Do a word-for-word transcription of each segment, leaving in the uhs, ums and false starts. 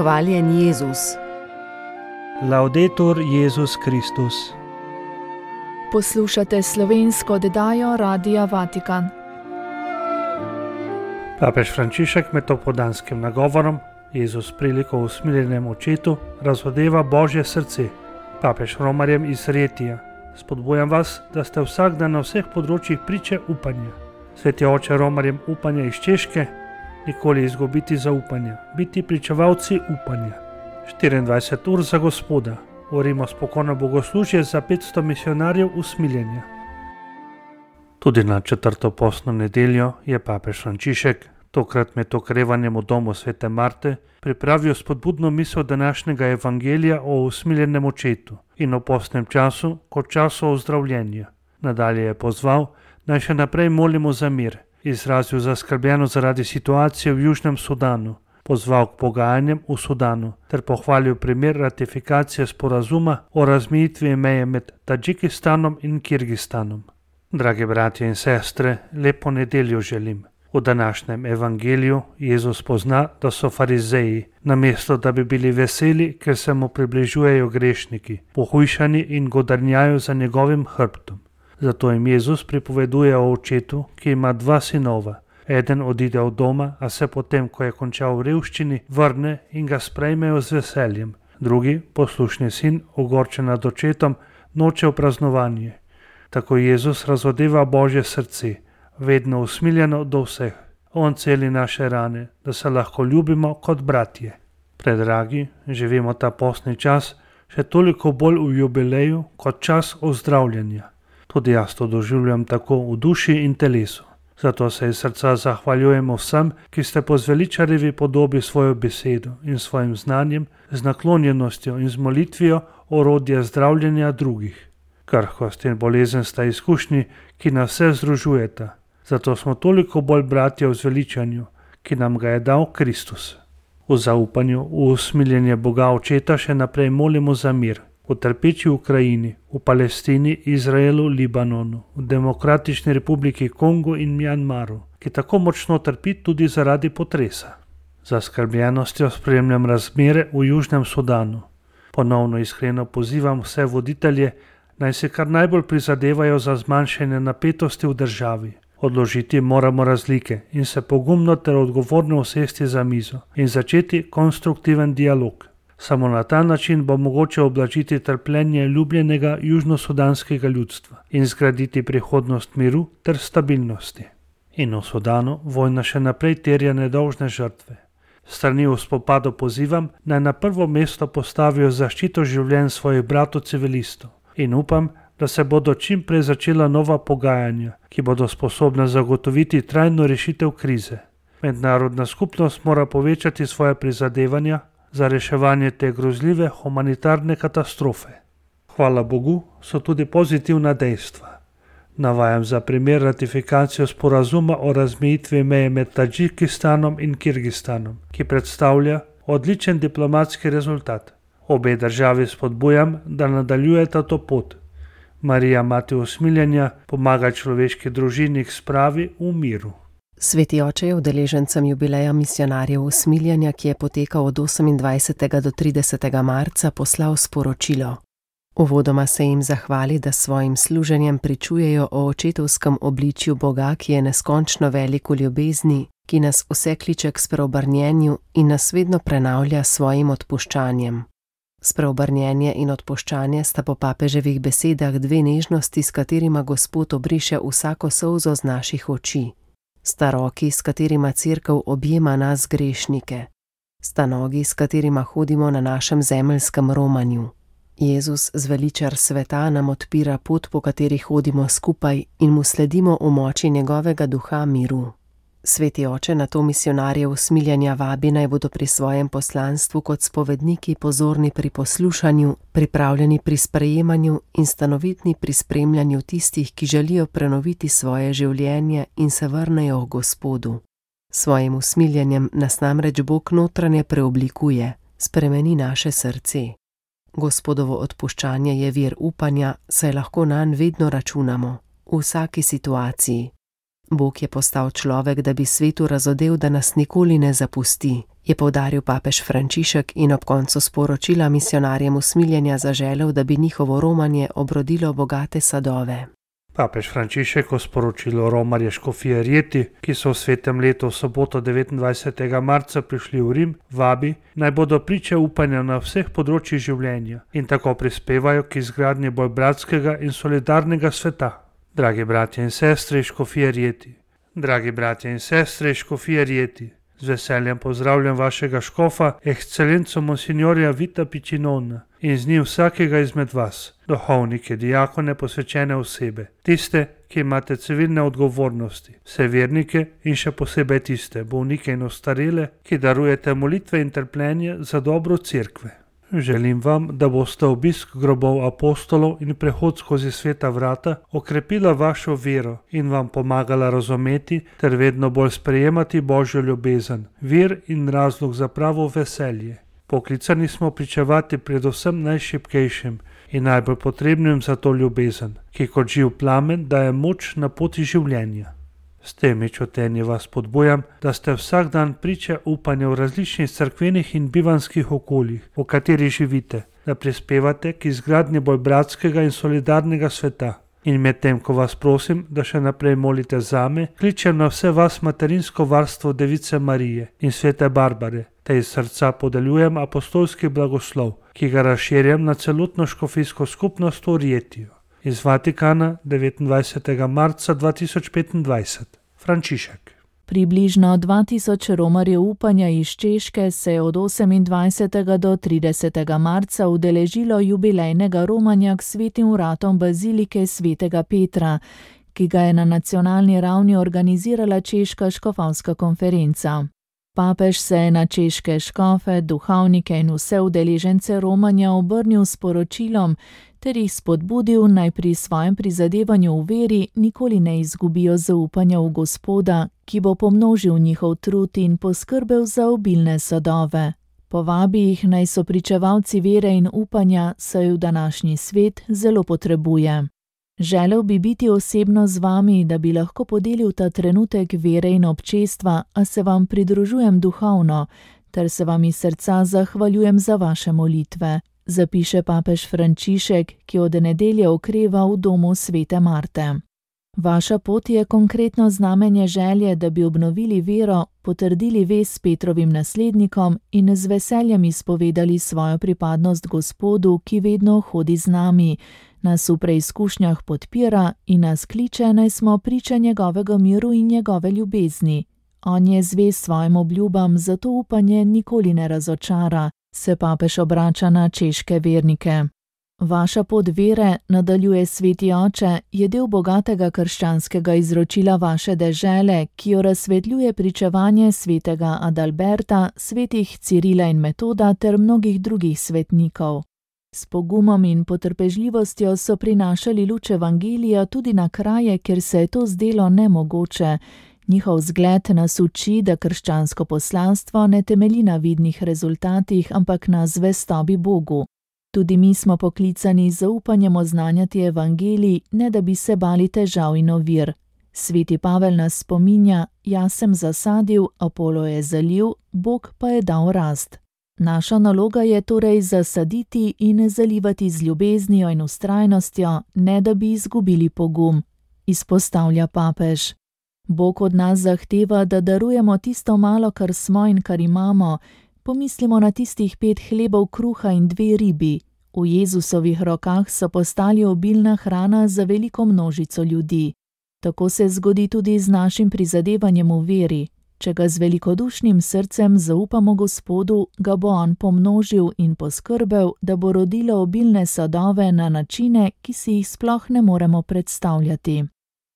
Hvaljen Jezus. Laudetur Jezus Kristus. Poslušate slovensko oddajo Radia Vatikan. Papež Frančišek med popoldanskim nagovorom Jezus priliko usmiljenem očetu razodeva Božje srce. Papež romarjem iz Retija: spodbujam vas, da ste vsak dan na vseh področjih priče upanja. Sveti oče romarjem upanja iz Češke: nikoli izgubiti zaupanja, biti pričevalci upanja. štiriindvajset ur za Gospoda. Urimo spokojno bogoslužje za petsto misionarjev usmiljenja. Tudi na četrto postno nedeljo je papež Frančišek, tokrat med okrevanjem v domu svete Marte, pripravil spodbudno misel današnjega evangelija o usmiljenem očetu in o postnem času kot času ozdravljenja. Nadalje je pozval, naj še naprej molimo za mir, izrazil zaskrbljenost zaradi situacije v Južnem Sudanu, pozval k pogajanjem v Sudanu ter pohvalil primer ratifikacije sporazuma o razmejitvi meje med Tadžikistanom in Kirgistanom. Dragi bratje in sestre, lepo nedeljo želim. V današnjem evangeliju Jezus pozna, da so farizeji, namesto da bi bili veseli, ker se mu približujejo grešniki, pohujšani in godrnjajo za njegovim hrbtom. Zato jim Jezus pripoveduje o očetu, ki ima dva sinova. Eden odide od doma, a se potem, ko je končal v revščini, vrne in ga sprejmejo z veseljem. Drugi, poslušni sin, ogorčen nad očetom, noče v praznovanje. Tako Jezus razodeva Božje srce, vedno usmiljeno do vseh. On celi naše rane, da se lahko ljubimo kot bratje. Predragi, živimo ta postni čas še toliko bolj v jubileju kot čas ozdravljanja. Tudi jaz to doživljam tako v duši in telesu. Zato se iz srca zahvaljujemo vsem, ki ste po zveličarjevi podobi svojo besedo in svojim znanjem, z naklonjenostjo in z molitvijo orodje zdravljenja drugih. Krhkost in bolezen sta izkušnji, ki nas vse združujeta. Zato smo toliko bolj bratje v zveličanju, ki nam ga je dal Kristus. V zaupanju, v usmiljenje Boga Očeta še naprej molimo za mir. V trpeči Ukrajini, v Palestini, Izraelu, Libanonu, v Demokratični republiki Kongo in Mjanmaru, ki tako močno trpi tudi zaradi potresa. Z zaskrbljenostjo spremljam razmere v Južnem Sudanu. Ponovno iskreno pozivam vse voditelje, naj se kar najbolj prizadevajo za zmanjšanje napetosti v državi. Odložiti moramo razlike in se pogumno ter odgovorno usesti za mizo in začeti konstruktiven dialog. Samo na ta način bo mogoče oblažiti trpljenje ljubljenega južnosudanskega ljudstva in zgraditi prihodnost miru ter stabilnosti. In v Sudanu vojna še naprej terja nedolžne žrtve. Strani v spopadu pozivam, naj na prvo mesto postavijo zaščito življenj svojih bratov civilistov in upam, da se bodo čim prej začela nova pogajanja, ki bodo sposobna zagotoviti trajno rešitev krize. Mednarodna skupnost mora povečati svoje prizadevanja za reševanje te grozljive humanitarne katastrofe. Hvala Bogu, so tudi pozitivna dejstva. Navajam za primer ratifikacijo sporazuma o razmejitvi meje med Tadžikistanom in Kirgistanom, ki predstavlja odličen diplomatski rezultat. Obe državi spodbujam, da nadaljujeta to pot. Marija, mati usmiljenja, pomaga človeški družini k spravi v miru. Sveti oče je udeležencem jubileja misionarjev usmiljenja, ki je potekal od osemindvajsetega do tridesetega marca, poslal sporočilo. Uvodoma se jim zahvali, da s svojim služenjem pričujejo o očetovskem obličju Boga, ki je neskončno velik v ljubezni, ki nas vse kliče k spreobrnjenju in nas vedno prenavlja s svojim odpuščanjem. Spreobrnjenje in odpuščanje sta po papeževih besedah dve nežnosti, s katerima Gospod obriše vsako solzo z naših oči. Sta roki, s katerima Cerkev objema nas grešnike. Sta nogi, s katerima hodimo na našem zemeljskem romanju. Jezus, zveličar sveta, nam odpira pot, po kateri hodimo skupaj in mu sledimo v moči njegovega duha miru. Sveti oče na to misionarje usmiljenja vabi, naj bodo pri svojem poslanstvu kot spovedniki pozorni pri poslušanju, pripravljeni pri sprejemanju in stanovitni pri spremljanju tistih, ki želijo prenoviti svoje življenje in se vrnejo k Gospodu. Svojim usmiljenjem nas namreč Bog notranje preoblikuje, spremeni naše srce. Gospodovo odpuščanje je vir upanja, saj lahko nanj vedno računamo, v vsaki situaciji. Bog je postal človek, da bi svetu razodel, da nas nikoli ne zapusti, je poudaril papež Frančišek in ob koncu sporočila misionarjem usmiljenja zaželel, da bi njihovo romanje obrodilo bogate sadove. Papež Frančišek v sporočilu romarje škofije Rieti, ki so v svetem letu v soboto devetindvajsetega marca prišli v Rim, vabi, naj bodo priče upanja na vseh področjih življenja in tako prispevajo k izgradnji bolj bratskega in solidarnega sveta. Dragi bratje in sestre iz škofije Rieti, dragi bratje in sestre iz škofije Rieti, z veseljem pozdravljam vašega škofa, ekscelenco monsignorja Vita Piccinona in z njim vsakega izmed vas, duhovnike, diakone, posvečene osebe, tiste, ki imate civilne odgovornosti, vse vernike in še posebej tiste, bolnike in ostarele, ki darujete molitve in trpljenje za dobro cerkve. Želim vam, da boste obisk grobov apostolov in prehod skozi sveta vrata okrepila vašo vero in vam pomagala razumeti ter vedno bolj sprejemati Božjo ljubezen, vir in razlog za pravo veselje. Poklicani smo pričevati predvsem najšibkejšim in najbolj potrebnim za to ljubezen, ki kot živ plamen daje moč na poti življenja. S temi čutenji vas spodbujam, da ste vsak dan priče upanja v različnih cerkvenih in bivanskih okoljih, v katerih živite, da prispevate k izgradnji bolj bratskega in solidarnega sveta. In medtem, ko vas prosim, da še naprej molite zame, kličem na vse vas materinsko varstvo Device Marije in svete Barbare, te iz srca podeljujem apostolski blagoslov, ki ga razširjam na celotno škofijsko skupnost v Rietiju. Iz Vatikana devetindvajsetega marca dva tisoč petindvajset. Frančišek. Približno dva tisoč romarjev upanja iz Češke se je od osemindvajsetega do tridesetega marca udeležilo jubilejnega romanja k svetim vratom bazilike svetega Petra, ki ga je na nacionalni ravni organizirala Češka škofovska konferenca. Papež se je na češke škofe, duhovnike in vse udeležence romanja obrnil s poročilom ter jih spodbudil, naj pri svojem prizadevanju v veri nikoli ne izgubijo zaupanja v Gospoda, ki bo pomnožil njihov trud in poskrbel za obilne sadove. Povabi jih, naj so pričevalci vere in upanja, saj v današnji svet zelo potrebuje. Želel bi biti osebno z vami, da bi lahko podelil ta trenutek vere in občestva, a se vam pridružujem duhovno, ter se vam iz srca zahvaljujem za vaše molitve, zapiše papež Frančišek, ki od nedelje okreva v domu svete Marte. Vaša pot je konkretno znamenje želje, da bi obnovili vero, potrdili vez s Petrovim naslednikom in z veseljem izpovedali svojo pripadnost Gospodu, ki vedno hodi z nami, nas v preizkušnjah podpira in nas kliče, naj smo priče njegovega miru in njegove ljubezni. On je zvest svojim obljubam, zato upanje nikoli ne razočara, se papež obrača na češke vernike. Vaša pot vere, nadaljuje sveti oče, je del bogatega krščanskega izročila vaše dežele, ki jo razsvetljuje pričevanje svetega Adalberta, svetih Cirila in Metoda ter mnogih drugih svetnikov. S pogumom in potrpežljivostjo so prinašali luč evangelija tudi na kraje, kjer se je to zdelo nemogoče. Njihov zgled nas uči, da krščansko poslanstvo ne temelji na vidnih rezultatih, ampak na zvestobi Bogu. Tudi mi smo poklicani z zaupanjem oznanjati evangelij, ne da bi se bali težav in ovir. Sveti Pavel nas spominja, jaz sem zasadil, Apolo je zalil, Bog pa je dal rast. Naša naloga je torej zasaditi in zalivati z ljubeznijo in vztrajnostjo, ne da bi izgubili pogum, izpostavlja papež. Bog od nas zahteva, da darujemo tisto malo, kar smo in kar imamo. Pomislimo na tistih pet hlebov kruha in dve ribi. V Jezusovih rokah so postali obilna hrana za veliko množico ljudi. Tako se zgodi tudi z našim prizadevanjem v veri. Če ga z velikodušnim srcem zaupamo Gospodu, ga bo on pomnožil in poskrbel, da bo rodilo obilne sadove na načine, ki si jih sploh ne moremo predstavljati.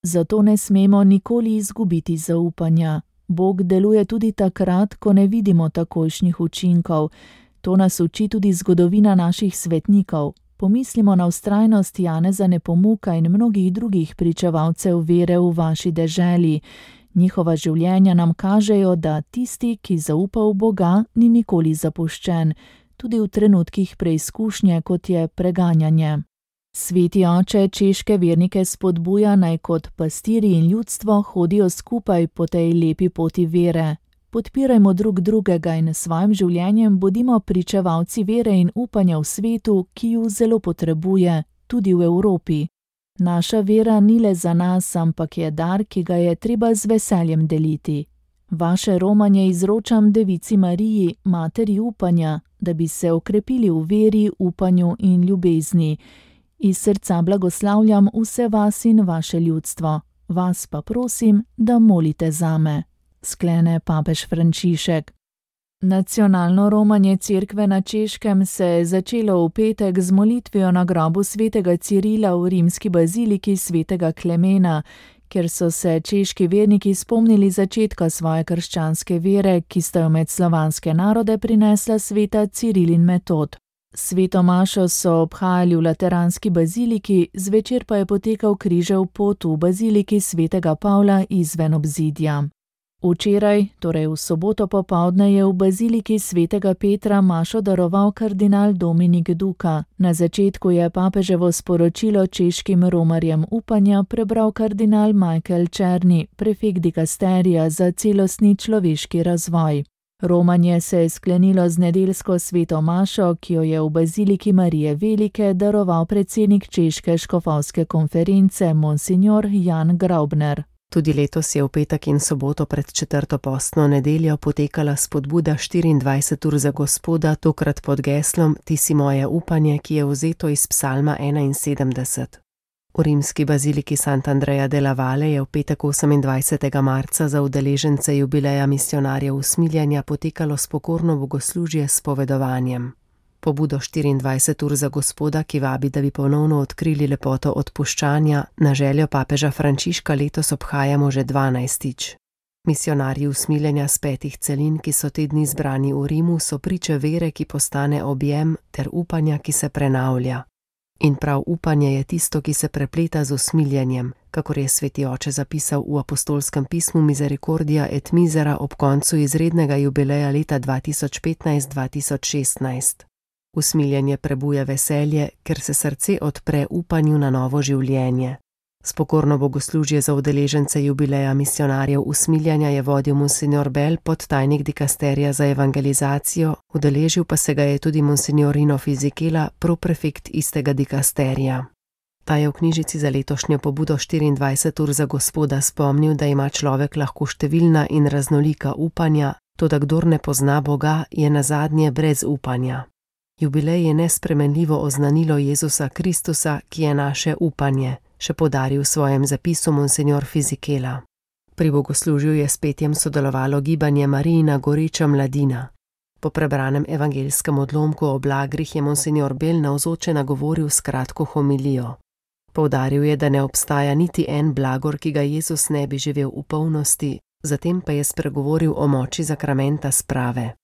Zato ne smemo nikoli izgubiti zaupanja. Bog deluje tudi takrat, ko ne vidimo takojšnjih učinkov. To nas uči tudi zgodovina naših svetnikov. Pomislimo na vztrajnost Janeza Nepomuka in mnogih drugih pričevalcev vere v vaši deželi. Njihova življenja nam kažejo, da tisti, ki zaupa v Boga, ni nikoli zapuščen, tudi v trenutkih preizkušnje, kot je preganjanje. Sveti oče češke vernike spodbuja, naj kot pastirji in ljudstvo hodijo skupaj po tej lepi poti vere. Podpirajmo drug drugega in s svojim življenjem bodimo pričevalci vere in upanja v svetu, ki ju zelo potrebuje, tudi v Evropi. Naša vera ni le za nas, ampak je dar, ki ga je treba z veseljem deliti. Vaše romanje izročam Devici Mariji, materi upanja, da bi se okrepili v veri, upanju in ljubezni. Iz srca blagoslavljam vse vas in vaše ljudstvo. Vas pa prosim, da molite zame, sklene papež Frančišek. Nacionalno romanje cerkve na Češkem se je začelo v petek z molitvijo na grobu svetega Cirila v rimski baziliki svetega Klemena, kjer so se češki verniki spomnili začetka svoje krščanske vere, ki sta jo med slovanske narode prinesla sveta Ciril in Metod. Sveto mašo so obhajali v lateranski baziliki, zvečer pa je potekal križev pot v baziliki svetega Pavla izven obzidja. Včeraj, torej v soboto popoldne, je v baziliki svetega Petra mašo daroval kardinal Dominik Duka. Na začetku je papeževo sporočilo češkim romarjem upanja prebral kardinal Michael Černi, prefekt dikasterija za celostni človeški razvoj. Romanje se je sklenilo z nedeljsko sveto mašo, ki jo je v baziliki Marije Velike daroval predsednik češke škofovske konference monsignor Jan Graubner. Tudi letos je v petek in soboto pred četrto postno nedeljo potekala spodbuda štiriindvajset ur za Gospoda, tokrat pod geslom Ti si moje upanje, ki je vzeto iz psalma enainsedemdeset. V rimski baziliki Sant'Andrea della Valle je v petek osemindvajsetega marca za udeležence jubileja misijonarjev usmiljenja potekalo spokorno bogoslužje s spovedovanjem. Pobudo štiriindvajset ur za Gospoda, ki vabi, da bi ponovno odkrili lepoto odpuščanja, na željo papeža Frančiška letos obhajamo že dvanajstič. Misijonarji usmiljenja s petih celin, ki so te dni zbrani v Rimu, so priče vere, ki postane objem, ter upanja, ki se prenavlja. In prav upanje je tisto, ki se prepleta z usmiljenjem, kakor je sveti oče zapisal v apostolskem pismu Misericordia et Misera ob koncu izrednega jubileja leta dva tisoč petnajst dva tisoč šestnajst. Usmiljenje prebuja veselje, ker se srce odpre upanju na novo življenje. Spokorno bogoslužje za udeležence jubileja misijonarjev usmiljenja je vodil monsignor Bell, podtajnik dikasterija za evangelizacijo, udeležil pa se ga je tudi monsignor Rino Fisichella, proprefekt istega dikasterija. Ta je v knjižici za letošnjo pobudo štiriindvajset ur za Gospoda spomnil, da ima človek lahko številna in raznolika upanja, toda kdor ne pozna Boga, je nazadnje brez upanja. Jubilej je nespremenljivo oznanilo Jezusa Kristusa, ki je naše upanje, še poudaril v svojem zapisu monsignor Fisichella. Pri bogoslužju je s petjem sodelovalo gibanje Marijina goreča mladina. Po prebranem evangelskem odlomku o blagrih je monsignor Bell navzoče nagovoril s kratko homilijo. Poudaril je, da ne obstaja niti en blagor, ki ga Jezus ne bi živel v polnosti, zatem pa je spregovoril o moči zakramenta sprave.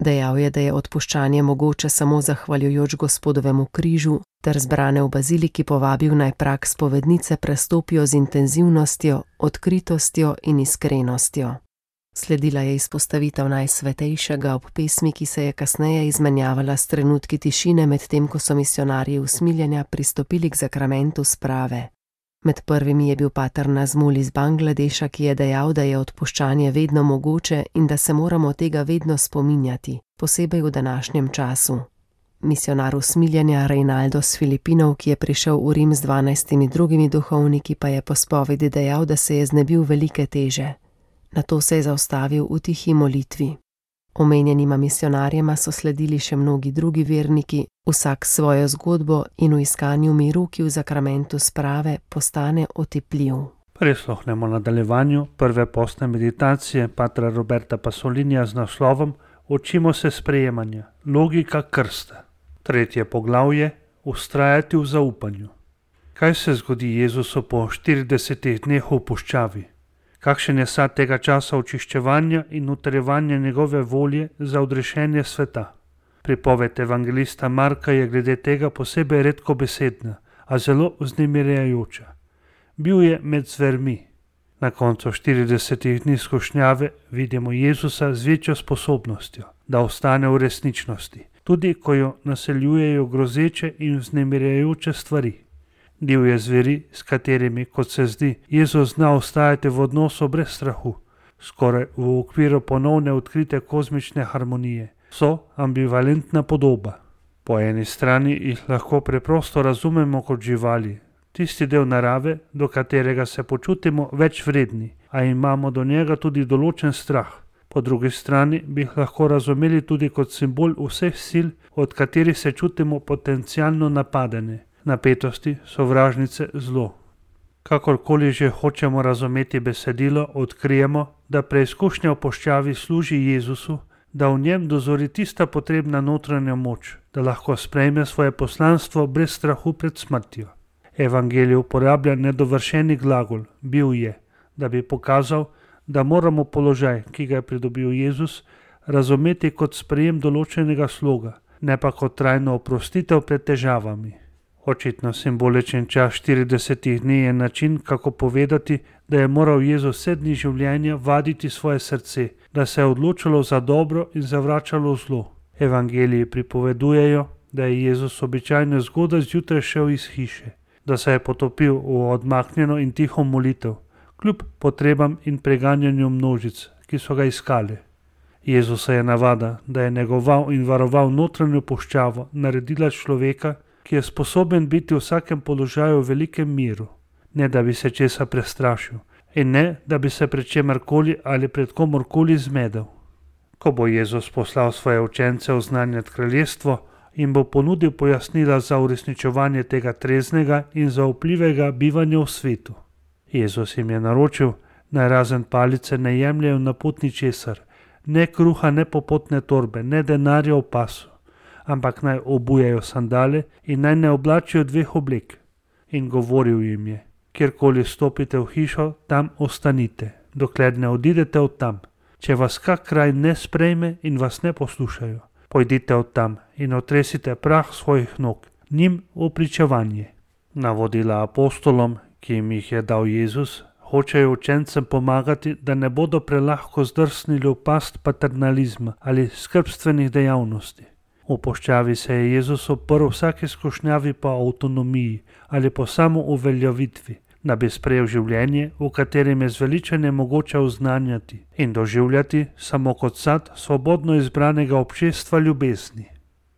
Dejal je, da je odpuščanje mogoče samo zahvaljujoč Gospodovemu križu, ter zbrane v baziliki povabil naj prag spovednice prestopijo z intenzivnostjo, odkritostjo in iskrenostjo. Sledila je izpostavitev Najsvetejšega ob pesmi, ki se je kasneje izmenjavala s trenutki tišine, medtem ko so misijonarji usmiljenja pristopili k zakramentu sprave. Med prvimi je bil pater Nazmul iz Bangladeša, ki je dejal, da je odpuščanje vedno mogoče in da se moramo tega vedno spominjati, posebej v današnjem času. Misijonar usmiljenja Reinaldo s Filipinov, ki je prišel v Rim z dvanajstimi drugimi duhovniki, pa je po spovedi dejal, da se je znebil velike teže. Nato se je zaustavil v tihi molitvi. Omenjenima misijonarjema so sledili še mnogi drugi verniki, vsak svojo zgodbo in v iskanju miru, ki v zakramentu sprave postane otipljiv. Prisluhnemo nadaljevanju prve postne meditacije patra Roberta Pasolinija z naslovom Učimo se sprejemanja, logika krsta. Tretje poglavje, ustrajati v zaupanju. Kaj se zgodi Jezusu po štiridesetih dneh v puščavi? Kakšen je sad tega časa očiščevanja in utrjevanja njegove volje za odrešenje sveta? Pripoved evangelista Marka je glede tega posebej redkobesedna, a zelo vznemirjajoča. Bil je med zvermi. Na koncu štiridesetih dni skušnjave vidimo Jezusa z večjo sposobnostjo, da ostane v resničnosti, tudi ko jo naseljujejo grozeče in vznemirjajoče stvari. Divje zveri, s katerimi, kot se zdi, Jezus zna ostajati v odnosu brez strahu, skoraj v okviru ponovne odkrite kozmične harmonije, so ambivalentna podoba. Po eni strani jih lahko preprosto razumemo kot živali, tisti del narave, do katerega se počutimo več vredni, a imamo do njega tudi določen strah. Po drugi strani bi jih lahko razumeli tudi kot simbol vseh sil, od katerih se čutimo potencialno napadene, napetosti, sovražnice, zlo. Kakorkoli že hočemo razumeti besedilo, odkrijemo, da preizkušnja v puščavi služi Jezusu, da v njem dozori tista potrebna notranja moč, da lahko sprejme svoje poslanstvo brez strahu pred smrtjo. Evangelij uporablja nedovršeni glagol, bil je, da bi pokazal, da moramo položaj, ki ga je pridobil Jezus, razumeti kot sprejem določenega sloga, ne pa kot trajno oprostitev pred težavami. Očitno simboličen čas štiridesetih dni je način, kako povedati, da je moral Jezus vse dni življenja vaditi svoje srce, da se je odločilo za dobro in zavračalo zlo. Evangeliji pripovedujejo, da je Jezus običajno zgodaj zjutraj šel iz hiše, da se je potopil v odmaknjeno in tiho molitev, kljub potrebam in preganjanju množic, ki so ga iskali. Jezusa je navada, da je negoval in varoval notranjo puščavo, naredila človeka, ki je sposoben biti v vsakem položaju v velikem miru, ne da bi se česa prestrašil in ne da bi se pred čemarkoli ali pred komorkoli zmedel. Ko bo Jezus poslal svoje učence oznanjati kraljestvo in bo ponudil pojasnila za uresničevanje tega treznega in zaupljivega bivanja v svetu. Jezus jim je naročil, naj razen palice ne jemljejo na pot ničesar, ne kruha, ne popotne torbe, ne denarja v pasu, ampak naj obujejo sandale in naj ne oblačijo dveh oblek. In govoril jim je, kjerkoli stopite v hišo, tam ostanite, dokler ne odidete od tam. Če vas kak kraj ne sprejme in vas ne poslušajo, pojdite od tam in otresite prah svojih nog, njim v pričevanje. Navodila apostolom, ki jim jih je dal Jezus, hočejo učencem pomagati, da ne bodo prelahko zdrsnili v past paternalizma ali skrbstvenih dejavnosti. V puščavi se je Jezus oprl vsaki skušnjavi po avtonomiji ali po samouveljavitvi, da bi sprejel življenje, v katerem je zveličanje mogoče oznanjati in doživljati samo kot sad svobodno izbranega občestva ljubezni.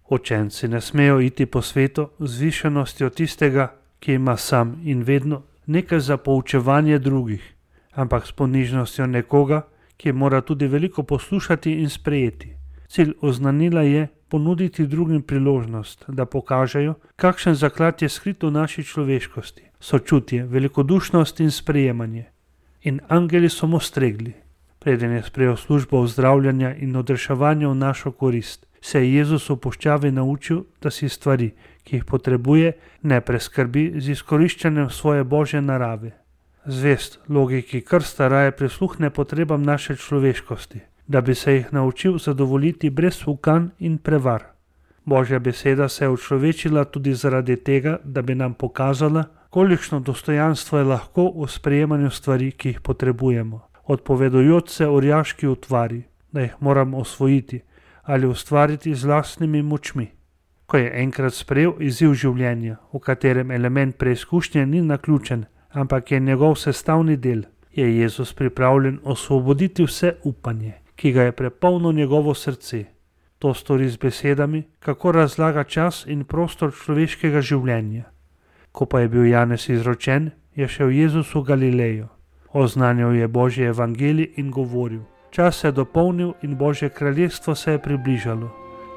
Učenci ne smejo iti po svetu z višenostjo tistega, ki ima sam in vedno nekaj za poučevanje drugih, ampak s ponižnostjo nekoga, ki mora tudi veliko poslušati in sprejeti. Cilj oznanila je ponuditi drugim priložnost, da pokažejo, kakšen zaklad je skrit v naši človeškosti, sočutje, velikodušnost in sprejemanje. In angeli so mu stregli. Preden je sprejel službo ozdravljanja in odreševanja v našo korist, se je Jezus v puščavi naučil, da si stvari, ki jih potrebuje, ne preskrbi z izkoriščanjem svoje božje narave. Zvest logiki krsta raje prisluhne potrebam naše človeškosti, da bi se jih naučil zadovoljiti brez ukan in prevar. Božja beseda se je učlovečila tudi zaradi tega, da bi nam pokazala, kolikšno dostojanstvo je lahko v sprejemanju stvari, ki jih potrebujemo, odpovedujoč se orjaški utvari, da jih moramo osvojiti ali ustvariti z lastnimi močmi. Ko je enkrat sprejel izziv življenja, v katerem element preizkušnje ni naključen, ampak je njegov sestavni del, je Jezus pripravljen osvoboditi vse upanje, ki ga je prepolnilo njegovo srce. To stori z besedami, kako razlaga čas in prostor človeškega življenja. Ko pa je bil Janez izročen, je šel Jezus v Galilejo. Oznanjal je Božji evangelij in govoril: čas se je dopolnil in Božje kraljestvo se je približalo.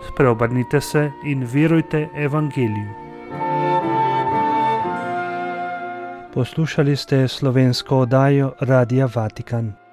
Spreobrnite se in verujte evangeliju. Poslušali ste slovensko oddajo Radia Vatikan.